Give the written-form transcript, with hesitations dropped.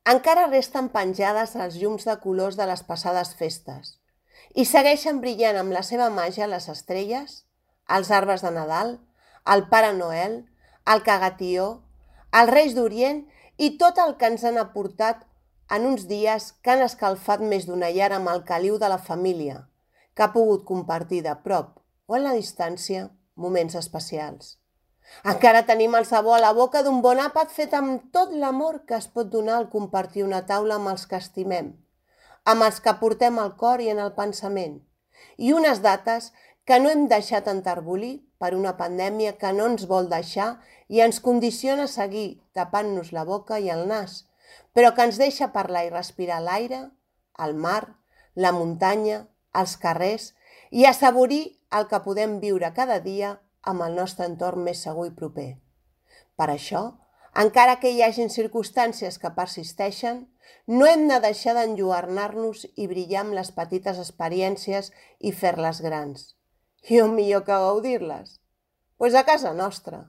Encara resten penjades els llums de colors de les passades festes i segueixen brillant amb la seva màgia les estrelles, els arbres de Nadal, el Pare Noel, el Cagatió, els Reis d'Orient i tot el que ens han aportat en uns dies que han escalfat més d'una llar amb el caliu de la família, que ha pogut compartir de prop o a la distància moments especials. Encara tenim el sabor a la boca d'un bon àpat fet amb tot l'amor que es pot donar al compartir una taula amb els que estimem, amb els que portem al cor i en el pensament, i unes dates que no hem deixat enterbolir per una pandèmia que no ens vol deixar i ens condiciona a seguir tapant-nos la boca i el nas, però que ens deixa parlar i respirar l'aire, el mar, la muntanya, els carrers i assaborir el que podem viure cada dia amb el nostre entorn més segur i proper. Per això, encara que hi hagin circumstàncies que persisteixen, no hem de deixar d'enlluernar-nos i brillar amb les petites experiències i fer-les grans. I on millor que gaudir-les? Pues a casa nostra.